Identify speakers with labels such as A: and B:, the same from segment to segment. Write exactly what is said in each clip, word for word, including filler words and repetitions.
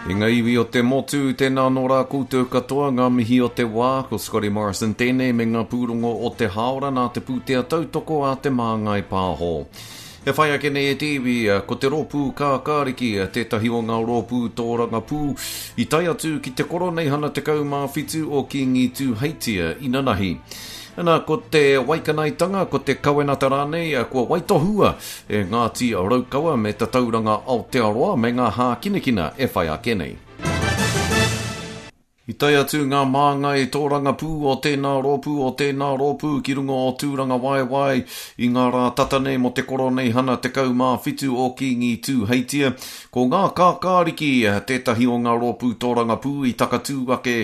A: I ngā iwi o te motu, tēnā nō rā koutou katoa ngā mihi o te wā, ko Scotty Morrison tēnei me ngā pūrongo o te hāora nā te pūtea tautoko a Te Māngai Pāho. E whai ake nei e te iwi, ko te rōpū kākāriki, tētahi o ngā rōpū tōrangapū, i tae atu ki te koroneihana tekau mā whitu o Kīngi Tūheitia inanahi. Ana, ko te waikanaetanga, ko te kawenata rānei, kua waitohua e Ngāti Raukawa me Tatauranga Aotearoa me ngā hākinakina e whai ake nei. I tae atu ngā māngai tōrangapū o tēnā rōpū o tēnā rōpū ki runga o Tūrangawaewae i ngā rā tata nei mō te koroneihana tekau mā whitu o Kīngi Tūheitia. Ko ngā kākāriki tētahi o ngā rōpū tōrangapū i takatū ake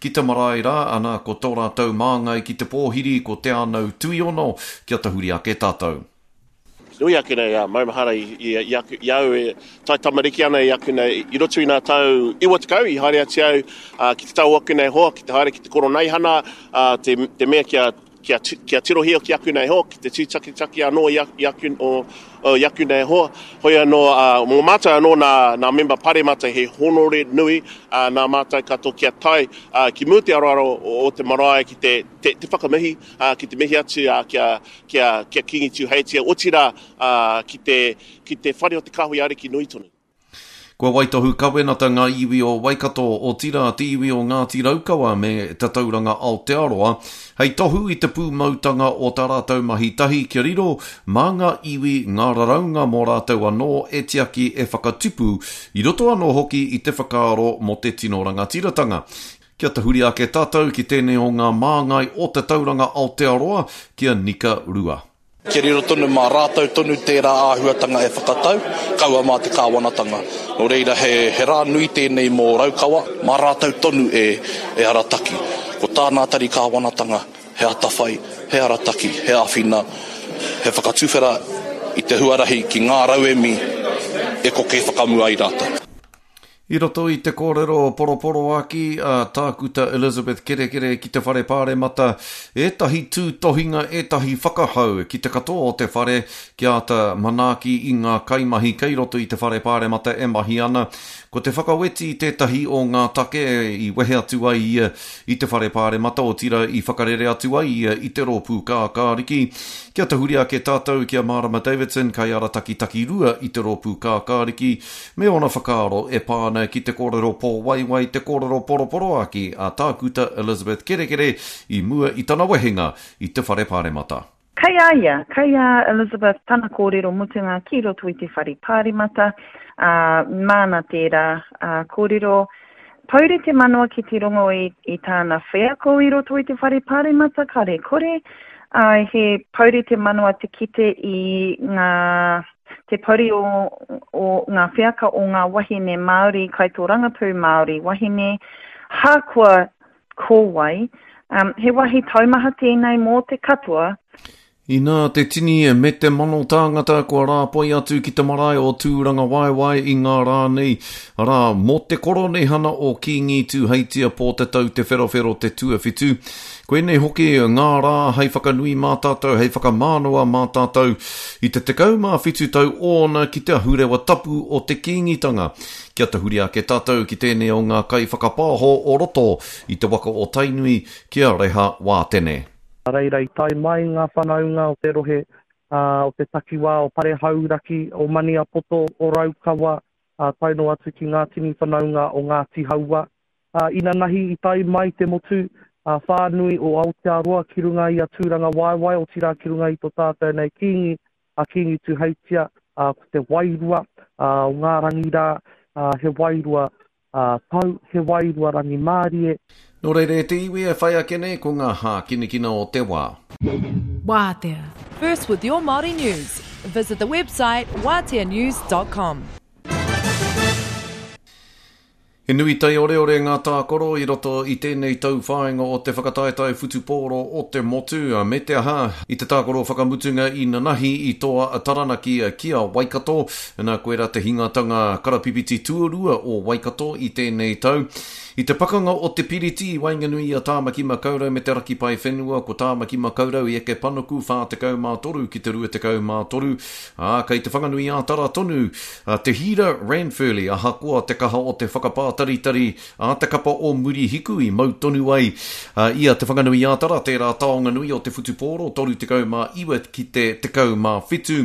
A: ki te marae rā, ana ko tō rātou māngai ki te pōhiri ko Te Anau Tuiono, kia tahuri ake tātou.
B: Nui ake nei a maumahara i, i, i, aku, i au e tai tamariki ana i aku nei, i roto i ngā tau iwa tekau i haere atu au uh, ki te tau aku nei hoa, ki te haere ki te koroneihana, uh, te, te mea kia, kia, kia tirohia ki aku nei hoa, ki te tūtakitaki anō i, i, aku, o, o, i aku nei hoa. Hoi anō, uh, mō mātou anō nā, nā memba paremata he honore nui uh, nā mātou katoa kia tae uh, ki mua te aroaro o, o te marae ki te, te, te whakamihi, uh, ki te mihi atu uh, kia, kia, kia Kīngi Tūheitia, otirā uh, ki te, ki te whare o te Kāhui Ariki nui tonu.
A: Kua waitohu kawenata ngā iwi o Waikato, otirā te iwi o Ngāti Raukawa me Tatauranga Aotearoa, hei tohu i te pūmautanga o tā rātou mahi tahi kia riro mā ngā iwi ngā raraunga mō rātou anō e tiaki e whakatupu, i roto anō hoki i te whakaaro mō te tino rangatiratanga. Kia tahuri ake tātou ki tēnei o ngā māngai o Tatauranga Aotearoa, ki a Nika Rua.
C: Kia riro tonu mā rātou tonu tērā āhuatanga e whakatau, kaua mā te kāwanatanga. Nō reira, he, he rā nui tēnei mō Raukawa, mā rātou tonu e, e arataki. Ko tā nā tari kāwanatanga, he atawhai, he arataki, he āwhina, he whakatuwhera i te huarahi ki ngā rauemi e koke whakamua ai rātou.
A: I roto i te kōrero poroporoaki a Tākuta Elizabeth Kerekere ki te whare pāremata, ētahi tūtohinga, ētahi whakahau ki te katoa o te whare kia āta manaaki i ngā kaimahi kei roto i te whare pāremata e mahi ana. Ko te whakaweti tētahi o ngā take i wehe atu ai ia i te whare pāremata, otirā i whakarere atu ai ia i te rōpū kākāriki. Kia tahuri ake tātou ki a Marama Davidson, kaiarataki takirua i te rōpū kākāriki, me ōna whakaaro e pā ana ki te kōrero pōwaiwai, te kōrero poroporoaki a Tākuta Elizabeth Kerekere i mua i tana wehenga i te whare pāremata.
D: Kei a ia, kei a Elizabeth tana kōrero mutunga ki roto i te whare pāremata, ā, māna tērā ā, kōrero. Pouri te manawa ki te rongo i, i tāna wheako i roto i te whare pāremata, kare kore. Ā, he pouri te manawa te kite i ngā, te pouri o, o ngā wheaka o ngā wahine Māori, kaitōrangapū Māori wahine, hākoa ko wai. Um, he wahi taumaha tēnei mō te katoa.
A: Inā te tini me te mano tāngata kua rāpoi atu ki te marae o Tūrangawaewae i ngā rā nei, arā, mō te koroneihana o Kīngi Tūheitia Pōtatau Te Wherowhero Te Tuawhitu. Koinei hoki ngā rā hei whakanui mā tātou, hei whakamānawa mā tātou i te tekau mā whitu tau ōna ki te ahurewa tapu o te Kīngitanga. Kia tahuri ake tātou ki tēnei o ngā kaiwhakapāho o roto i te waka o Tainui ki a Reha Wātene.
E: Reira i tae mai ngā whanaunga o te rohe, ā, o te takiwā o Parehauraki, o Maniapoto, o Raukawa, ā, tae noa atu ki ngā tini whanaunga o Ngāti Haua. Ā, inanahi i tae mai te motu, ā, whānui o Aotearoa ki runga i a Tūrangawaewae, otirā ki runga i tō tātou nei Kīngi, a Kīngi Tūheitia, ā, ko te wairua, ā, o ngā rangi rā, ā, he wairua, ā, tau, he wairua rangimārie.
A: Nō reira e te iwi e whai ake nei ko ngā hākinakina o te wā.
F: Wātea. First with your Māori news. Visit the website wātea news dot com.
A: He nui taioreore ngā tākaro i roto i tēnei tauwhāinga o te whakataetae whutupōro o te motu, me te aha i te tākaro whakamutunga i nanahi i toa a Taranaki ki a Waikato. Nā koera te hingatanga karapipiti tuarua o Waikato i tēnei tau. I te pakanga o te Piriti i waenganui i a Tāmaki Makaurau me te Raki Paewhenua, ko Tāmaki Makaurau i eke panuku whā tekau mā toru ki te rua tekau mā toru, ā, kei te Whanganui-ā-Tara tonu te Hira Ranfurly, ahakoa te kaha o te whakapātaritari a te kapa o Murihiku i mau tonu ai i a Te Whanganui-ā-Tara, tērā taonga nui o te whutupōro, toru tekau mā iwa ki te tekau mā whitu.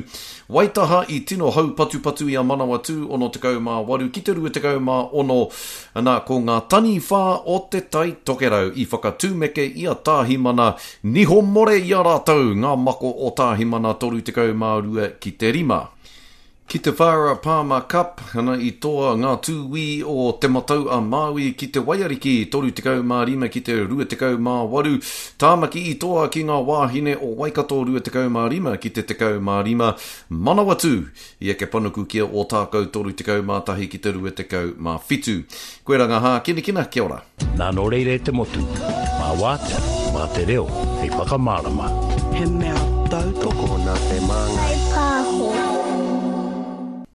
A: Waitaha i tino haupatupatu i a Manawatū, ono tekau mā waru ki te rua tekau mā ono. Nā, ko ngā taniwha o te Tai Tokerau i whakatūmeke i a Tāhimana, niho more i a rātou ngā mako o Tāhimana toru tekau mā rua ki te rima. Ki te Farah Palmer Cup, ana i toa ngā tūī o Te Matau a Māui ki te Waiariki, toru tekau mā rima ki te rua tekau mā waru. Tāmaki i toa ki ngā wāhine o Waikato rua tekau mā rima ki te tekau mā rima. Manawatū i eke panuku ki a Ōtākou toru tekau mā tahi ki te rua tekau mā whitu. Koe rā ngā hākinakina, kia ora.
G: Nā nō reira e te motu, mā wātea, mā te reo, hei whakamārama.
H: He mea tautoko nā te māngai.